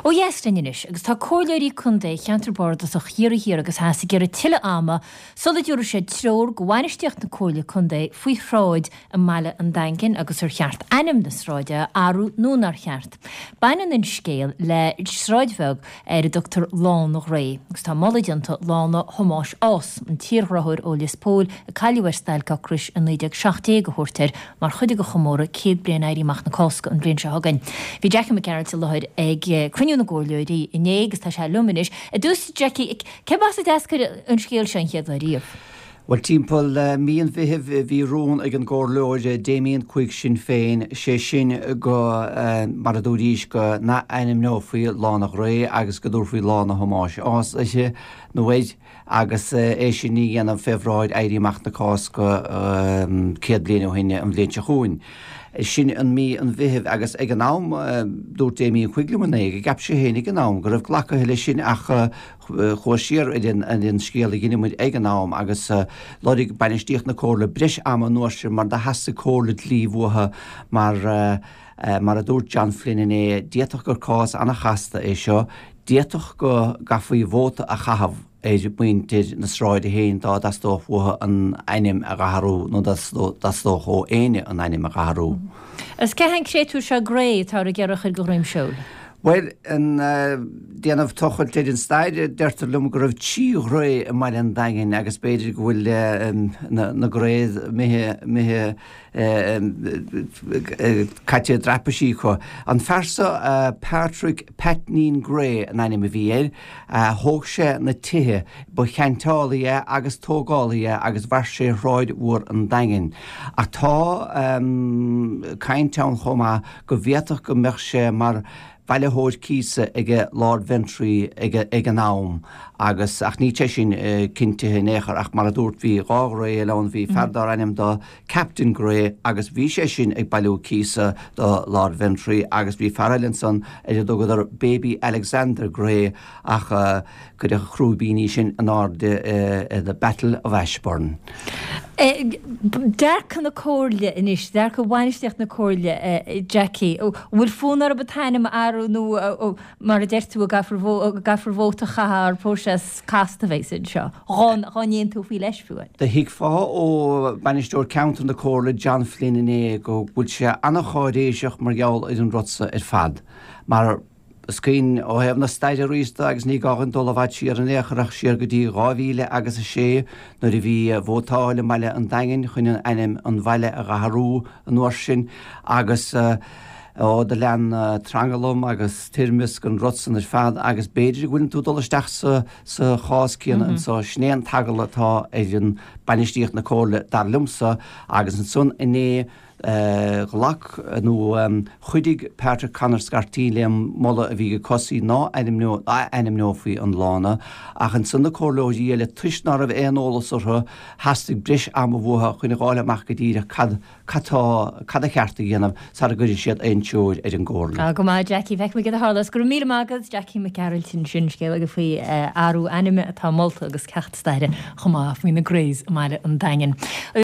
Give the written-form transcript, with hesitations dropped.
Ó dheas linn anois, agus tá comhairleoirí contae cheantar bardasach Chiarraí Thiar agus Theas ag iarraidh tuilleadh ama sula dtabharfaidh siad treoir go bhainistíocht na Comhairle Contae faoi shráid i mbaile an Daingin agus ar cheart ainm na sráide a athrú nó nár cheart. Baineann an scéal le sráid bheag ar a dtugtar Lána Ghrae agus tá moladh déanta Lána Thomáis Ághas, an tírghráthóir ó Lios Póil a cailleadh ar stailc ocrais i 1917 a thabhairt air mar chuid de chomóradh 100 bliain Éirí Amach na Cásca an bhliain seo chugainn. Bhí Jackie Mac Gearailt i láthair ag cruinniú na gcomhairleoirí inné agus tá sé liom anois. Ar dtús, Jackie, cérb as a d'eascair an scéal seo an chéad lá riamh? Bhuel, timpeall mí an Mheithimh bhí rún ag an gComhairleoir Damien Quigg Sinn Féin, sé sin go, mar a dúraís, go n-ath-ainmneofaí Lána Ghrae agus go dtabharfaí Lána Thomáis Ághas uirthi, nó air, agus é sin a dhéanamh fé bhráid Éirí Amach na Cásca 100 bliain ó shin an bhliain seo chugainn. Sin an mí an Mheithimh agus ag an am, dúirt Damien Quigg liom inné go gceap sé féin ag an am go raibh glactha leis sin ach chuas siar ar an scéal a dheineamair ag an am agus lorg bainistíocht na Comhairle breis ama an uair sin mar do theastaigh comhairle dlí uathu mar mar a dúirt John Flynn inné, d'fhéadfadh gur cás an-chasta é seo, d'fhéadfadh go gcaithfí vóta a chaitheamh ar mhuintir na sráide féin dá dteastódh uathu an ainm a dh'athrú nó dá dteastódh ó éinne an ainm a dh'athrú. Agus cé hé an créatúr seo Grey atáthar ag iarraidh a chur de dhroim seoil? Bhuel, ag déanamh tochailt ar an stair, deirtear liom go raibh 3 Ghrey i mbaile an Daingin agus b'fhéidir go bhfuil na Greys imithe caite i dtraipisí acu. An fear seo, Patrick Paitnín Grey an ainm a bhí air, thóg sé na tithe, ba cheainteálaí é agus tógálaí é agus mhair sé Shráid Mhór an Daingin. Ach tá caint ann chomh maith go bhféadfadh go mbeadh sé mar bhailitheoir cíosa ag Lord Ventry ag an am agus, ach níl sé sin cinntithe in aon chor, ach mar a dúrt bhí dhá Ghrey eile ann, bhí fear dár ainm do Captain Grey agus bhí sé sin ag bailiú cíosa do Lord Ventry agus bhí fear eile ansan ar a dtugadar Baby Alexander Grey ach cuireadh a chrúibíní sin in airde i the Battle of Ashburn. Dearcadh na Comhairle anois, dearcadh bhainistíocht na Comhairle, Jackie, an bhfuil fonn orthu an t-ainm a athrú nó Mar a deir tú, an gcaithfear vóta a chaitheamh ar próiseas casta a bheas anseo, dhá n-aontófaí leis fiú. Do thuigfeá ó Bhainisteoir Ceantair na Comhairle John Flynn inné go bhfuil sé an-cháiréiseach mar gheall ar an rud so ar fad. Mar is cuimhin ó thaobh na staire arís de agus ní gá dhuinn dul i bhfad siar in aon chor ach siar go dtí 2000 agus 6 nuair a bhí vótáil i mbaile an Daingin chun an ainm an bhaile a dh'athrú an uair sin agus Ó, do lean tranglam agus toirmeasc an rud san ar fad agus b'fhéidir go bhfuileann tú ag dul isteach sa, sa chás céanna anso. Sin é an t-eagal atá ar an bainistíocht na Comhairle, dar liomsa, agus ansan inné ghlac nó chuidigh Patrick Conor Scarteen le an moladh a bhí ag Cosaí ná ainmneo, ath-ainmneofaí an lána ach ansan na comhairleoirí eile toisc ná raibh aon eolas orthu theastaigh breis ama uathu chun a dh'fháil amach go díreach cad Cad tá, cad a cheart a dhéanamh sara gcuireann siad aon treoir ar an gComhairle? Tá go maith, Jackie. Feicfimid cad a tharlós. Go raibh míle maith agat, Jackie Mac Gearailt ansin. Scéal aige faoi athrú ainme atá molta agus ceacht staire chomh maith faoi na Greys i mbaile an Daingin.